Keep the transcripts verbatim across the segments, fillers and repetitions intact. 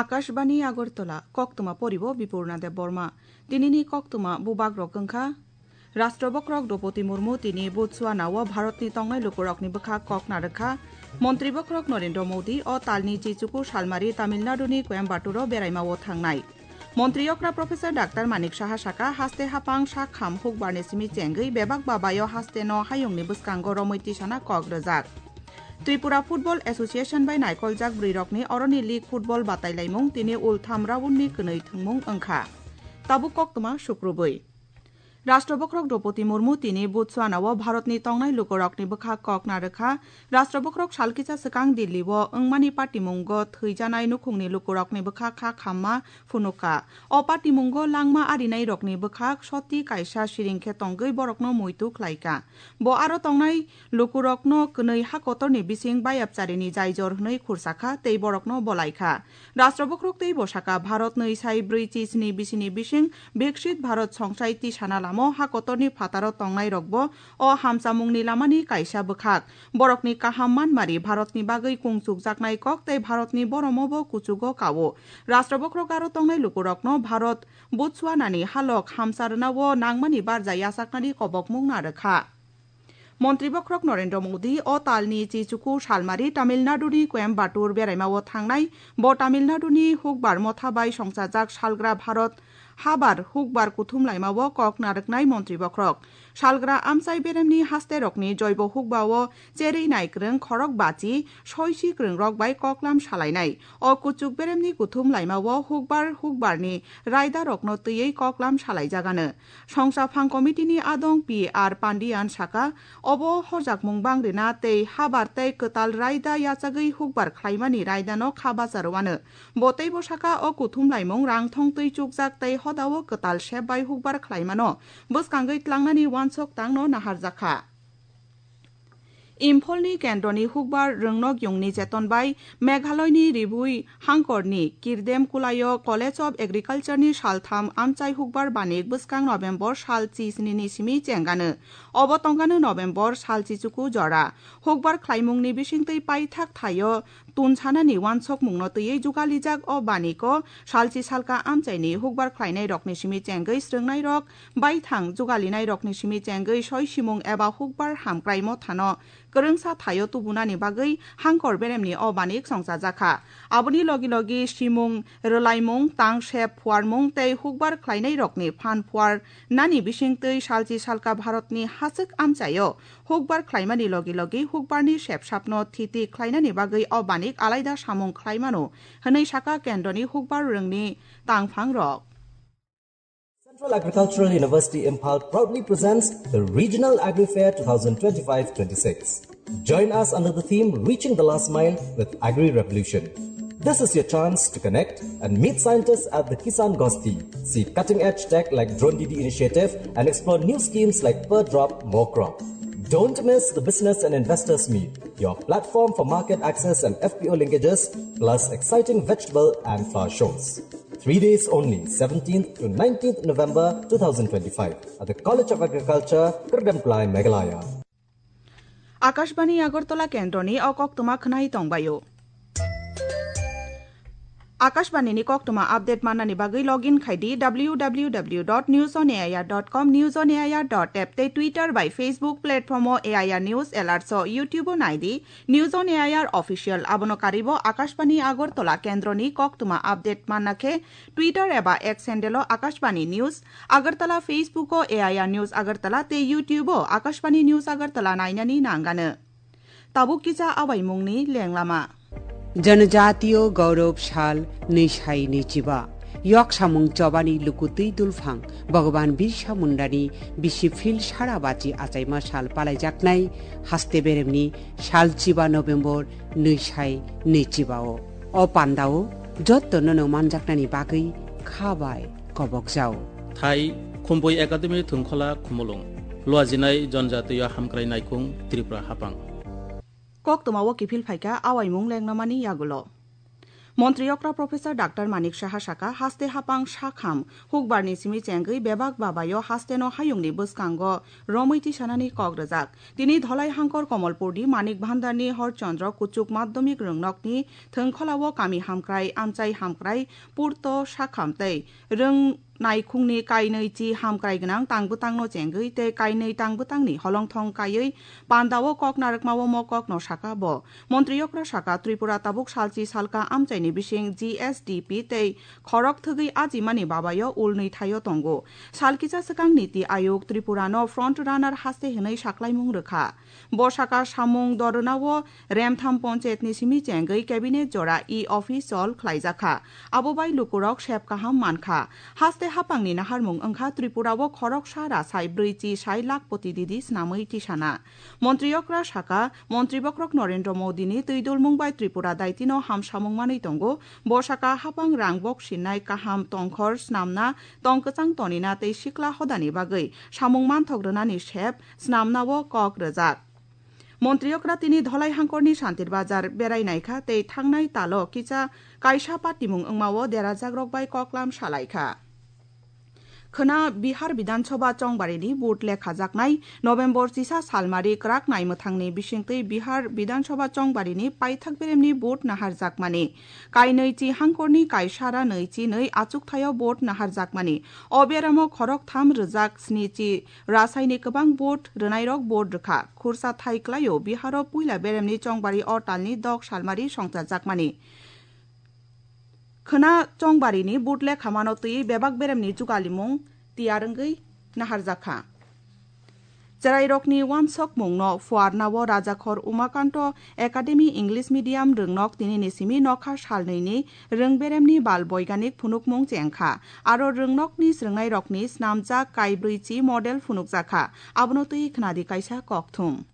Akashbani Agartala, koktwma poribo Bipurna Debbarma. Tinini koktwma bubagrok wngkha: Rashtra Bokhorok Droupadi Murmu tini Botswana o Bharatni tongnai lukurokni bwkhak kok narwkha. Montri Bokhorok Narendra Modi o talni chichuku salmari Tamil Naduni Coimbatore o beraima o thangnai. Montri okra Professor Doctor Manik Saha saka, haste hapang sak ham hukbarni simi chengwi bebak babayo hasteno hayungni bwskango romwi tisana kok rwjak. Tripura Football Association bai naikoljak bwrwirokni oroni league football batailaimung tini ultham roundni kwnwi thwngmung wngkha. Tabuk koktwma sukrubwi. Rashtra Bokhorok Droupadi Murmu tini Botswana o Bharatni tongnai lukurokni bwkhak kok narwkha. Rashtra Bokhorok salkisa swkang Delhi o wngmani patimungo thwijanai nukhungni lukurokni bwkhak kha khamma phunukha. O patimungo langma arinairokni bwkhak soti kaisa siring khe tongwi borokno muitu khlaikha. Bo aro tongnai lukurokno kwnwi ha kotorni bising bayapcharini jaijor hwnwi khursakha tei borokno bolaikha. Rashtra Bokhorok tei bwsaka Bharat nwi sai brwi chisni bisini bising Viksit Bharat songsai tisana lamo ha kotorni phataro tongnairokbo o hamchamungni lamani kaisa bwkhak. Borokni kaham manmari Bharatni bagwi kungchukjaknai kok tei Bharatni boromobo kuchugo kao. Rashtra Bokhorok aro tongnai lukurokno Bharat Botswanani halok hamsa rwnao nangmani barja yachaknani kobokmung narwkha. Montri Bokhorok Narendra Modi o talni chichuku salmari Tamil Naduni Coimbatore beraima o thangnai. Bo Tamil Naduni hukbar motha bai songchajak salgra Bharat habar hukbar kuthum laima o kok narwknai Montri Bokhorok. Salgra amchai beremni hasterokni joibo hukba o cherwi naikrwng khorok bachi soisi kwrwngrok bai koklam salainai. O kuchuk beremni kuthum laima o hukbar hukbarni raidarokno twiwi koklam salaijagano. Songcha Phang Committee ni adong P R Pandian saka, obo horjakmung bang rina tei habar tei kwtal raida yachagwi hukbar khlaimani raidano kha bacha rwano. Bo teibo saka, o kuthum laimung rang thong twi chukjak tei hodao kwtal sep bai hukbar khlaimano bwskangwi tlangnani uansuk tangno naharjakha. Imphalni kendroni hukbar rwngnokyungni cheton bai Meghaloini ribui hangkorni Kirdem Kulaio College of Agriculture ni saltham amchai hukbar banik bwskang November sal chisni ni simi chengano. Obo tongkano November sal chichuku jora. Hukbar khlaimungni bisingtwi paithak thaio tunsanani uansukmungno twiwi jugalijak o baniko salchi salka amchaini hukbar khlainairokni simi chengwi srwngnairok baithang jugalinairokni simi chengwi soi simung eba hukbar hamkrai mothano kwrwngsa thaio tubunani bagwi hangkor beremni o banik songchajakha. Aboni logi logi simung rwlaimung, tang sep phuarmung tei hukbar khlainairokni phan phuar nani bisingtwi salchi salka Bharatni hachwk amchaio hukbar khlaimani logi logi hukbarni sepsapno thiti khlainani bagwi o banik alaida samung khlaimano, hwnwi saka kendroni hukbar rwngni tangphangrok. Central Agricultural University Imphal proudly presents the Regional Agri Fair twenty twenty-five twenty-six. Join us under the theme Reaching the Last Mile with Agri Revolution. This is your chance to connect and meet scientists at the Kisan Gosti, see cutting edge tech like Drone D D initiative, and explore new schemes like Per Drop, More Crop. Don't miss the Business and Investors Meet, your platform for market access and F P O linkages, plus exciting vegetable and flower shows. Three days only, seventeenth to nineteenth November two thousand twenty-five, at the College of Agriculture, Kirdemplai, Meghalaya. Akashbani Agartala kendroni o koktwma khwnai tongbaio. Akashbani ni koktwma update mannani bagwi login khai di W W W dot news on A I R dot com, News on A I R dot app tei Twitter bai Facebook platform o A I R News Alerts o, YouTube o nai di News on A I R Official. Abono karibo Akashbani Agartala kendroni koktwma update manna khe Twitter eba X handle o Akashbani News Agartala, Facebook o A I R News Agartala tei YouTube o Akashbani News Agartala nainani nangano. Tabuk kisa awaimungni lenglama. Janajatiyo Gaurav Sal nwi sai nwi chiba. Yok samung chobani lukutwi dulphang Bhagwan Birsa Mundani bisi phil sara bachi achaima sal palaijaknai haste beremni sal chiba November nwi sai nwi chiba o. O pandao jotto nono manjaknani bagwi kha bai kobok jao. Thai Khumbui Academy Thwngkhola Khumulwng. Luajinai Jonjatiyo Hamkrai Naikhung Tripura Hapang. Koktwma o kiphil phaikha awaimung lengnamani yagulo. Montri okra Professor Doctor Manik Saha saka, haste hapang sakham hukbarni simi chengwi bebak babayo hasteno hayungni bwskango romwi tisanani kok rwjak. Tini Dholai hangkor Komolpurni Manik Bhandarni Horchandra Kuchuk Madhyamik Rwngnokni thwngkholao kami hamkrai, amchai hamkrai, purto sakham tei rwng naikhungni kainwi chi hamkrai gwnang tangbwtangno chengwi tei kainwi tangbwtangni holongthong kaiwi pandao kok narwkmao mo kokno saka bo. Montri okra saka, Tripura tabuk salchi salka amchaini bising G S D P tei khorok thwgwi ajimani babayo ulnwi thaio tongo. Salkisa swkang Niti Ayog Tripurano front runner haste hwnwi saklaimung rwkha. Bo saka samung dorwnao remtham ponchayatni simi chengwi cabinet jora e-office chol khlaijakha. Abo bai lukurok sep kaham mankha. Haste hapangni naharmung wngkha Tripurao khoroksa rasai brwi chi sai lakh poti didi snamwi tisana. Montri okra saka, Montri bokrok Narendra Modini twi dulmung bai Tripura daitino hamsamung manwi tongo. Bo saka hapang rang bok sinnai kaham tongkhor snamna, tong kwchang tonina tei sikla hodani bagwi samung manthok rwnani sep snamnao kok rwjak. Montri okra tini Dholai hangkorni Santir Bazar berai naikha tei thangnai talo kisa kaisa patimung wngmao derajakrok bai koklam salaikha. Khwna Bihar Bidhan Sabha chongbarini vote lekhajaknai November chisa salmari kwrak naimwthangni bisingtwi Bihar Bidhan Sabha chongbarini paithak beremni vote naharjakmani. Kainwi chi hangkorni kaisara nwi chi nwi achukthayao vote naharjakmani. O beramo khorok tham rwjak sni chi rasaini kwbang vote rwnairok vote rwkha. Khursa thai klaio Biharo puila beremni chongbari o talni dok salmari songchajakmani. Khwna chongbarini vote lekhamano twi bebak beremni jugalimung tiyar wngwi naharjakha. Cherairokni wansokmungno phuarnao Rajakhor Umakanto Academy English Medium rwngnok tinini simi nokha salnwini rwngberemni bal boiganik phunukmung chengkha. Aro rwngnokni swrwngnairokni snamjak kaibrwi chi model phunukjakha. Abono twi khwnadi kaisa kokthum.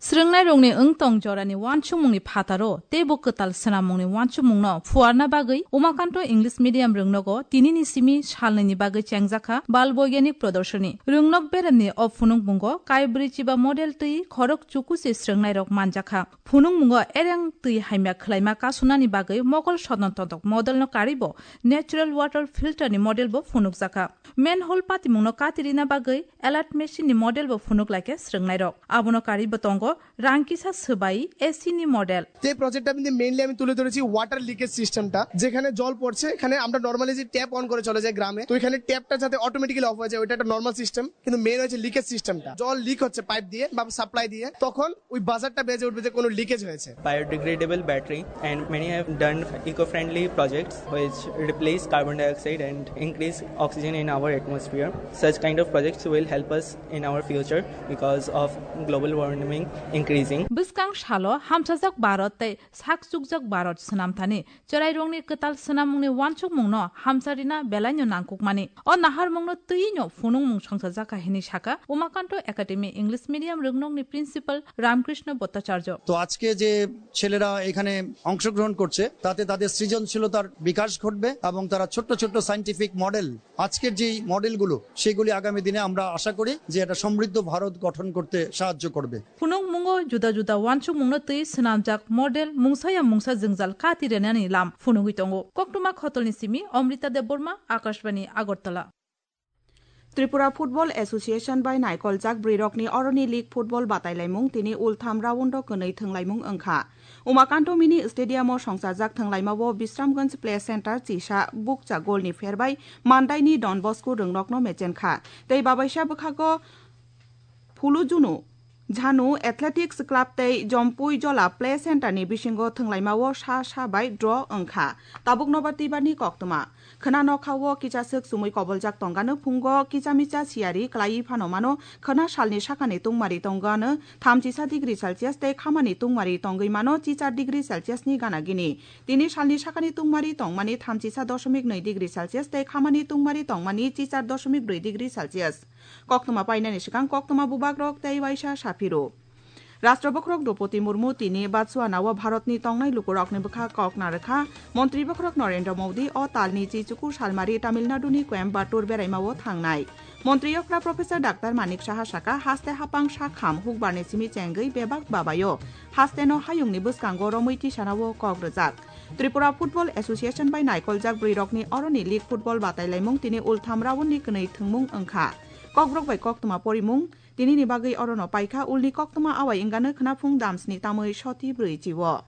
Swrwngnairokni wngtong jorani wansukmungni phataro teibo kwtal swnammungni wansukmungno phuarna bagwi Umakanto English Medium rwngnogo tinini simi salnwini bagwi chengjakha bal boiganik prodorsoni. Rwngnok beremni o phunukmungo kaibrwi chiba model twi khorok chukusi swrwngnairok manjakha. Phunukmungo ereng twi hamya khwlaima kasunani bagwi mokol sodon todok modelno karibo natural water filter ni model bo phunukjakha. Manhole patimungno katirina bagwi alert machine ni model bo phunuk laikha swrwngnairok. Abono karibo tongo rang kisa swbai A C ni model. যে প্রজেক্টটা কিন্তু মেইনলি আমি তুলে ধরেছি water leakage সিস্টেমটা, যেখানে জল পড়ছে, এখানে আমরা নর্মালি যে ট্যাপ অন করে চলে যায় গ্রামে, তো এখানে ট্যাপটা যাতে অটোমেটিক্যালি অফ হয়ে যায়, ওইটা একটা নর্মাল সিস্টেম। কিন্তু মেইন হচ্ছে লিকেজ সিস্টেমটা, জল লিক হচ্ছে পাইপ দিয়ে বা সাপ্লাই দিয়ে, তখন ওই বাজারটা বেজে উঠবে যে কোনো লিকেজ হয়েছে। Biodegradable battery, and many have done eco-friendly projects which replace carbon dioxide and increase oxygen in our atmosphere. Such kind of projects will help us in our future because of global warming increasing. Bwskang salo hamsajak Bharat tei sak chukjak Bharat swnamthani chwrairokni kwtal swnamungni wansukmungno hamsa rina belaino nangkukmani. O naharmungno twiwi'-no phunukmung songchajakha hinwi sakha Umakanto Academy English Medium rwngnokni Principal Ramkrishna Bhattacharya. তো আজকে যে ছেলেরা এখানে অংশগ্রহণ করছে, তাতে তাদের সৃজনশীলতার বিকাশ ঘটবে এবং তারা ছোট্ট ছোট্ট সায়েন্টিফিক মডেল, আজকের যেই মডেলগুলো, সেগুলি আগামী দিনে আমরা আশা করি যে একটা সমৃদ্ধ ভারত গঠন করতে সাহায্য করবে। Phunukmungo juda juda wansukmungno twi swnamjak model mungsaya mungsa jwngjal kati renani lam phunugwi tongo. Koktwma Khotolni simi Amrita Debbarma, Akashbani, Agartala. Tripura Football Association bai naikoljak bwrwirokni oroni league football batailaimung tini ultham round-o kwnwi thwnglaimung wngkha. Umakanto Mini Stadium-o songchajak thwnglaimao Bisramganj Play Center chisa bukcha golni pherbai Mandaini Don Bosco rwngnokno mechenkha tei babaisa bwkhago Phulujunu Jhanu Athletics Club tei Jompui Jola Play Center ni bisingo thwnglaimao sa sa bai draw wngkha. Tabuk nobar twibarni koktwma. Khwna nokha-o kichaswk chumui koboljak tongano phungo kicha micha siyari kwlaiwi phano mano khwna salni sakani tungmari tongano thamchisa degree Celsius tei khamani tungmari tongwi mano chichar degree Celsius ni gana gini. Tini salni sakani tungmari tongmani thamchisa doshomik nwi degree Celsius tei khamani tungmari tongmani chichar doshomik brwi degree Celsius. Koktwma painani swkang koktwma bubagrok tei waisa saphiro. Rashtra bokhorok Droupadi Murmu tini Botswana o Bharat ni tongnai lukurok ni bwkha kok narwkha. Montri bokhorok Narendra Modi o tal ni chi chukur salmari Tamil Nadu ni Coimbatore berai ma o thangnai. Montri okra Professor Doctor Manik Saha saka haste hapang sakham hukbar ni simi chengwi bebak babayo haste no hayung ni bwskango romwi tisana o kok rwjak. Tripura Football Association bai naikoljak bwrwi rok ni oro ni league football batai laimung tini ultham round ni kwnwi thwngmung wngkha. Kokborok bai koktwma porimung tini ni bagwi oro no paikha, ulni koktwma awai wngano khwnaphung damsni tamwi soti bwrwi chi o.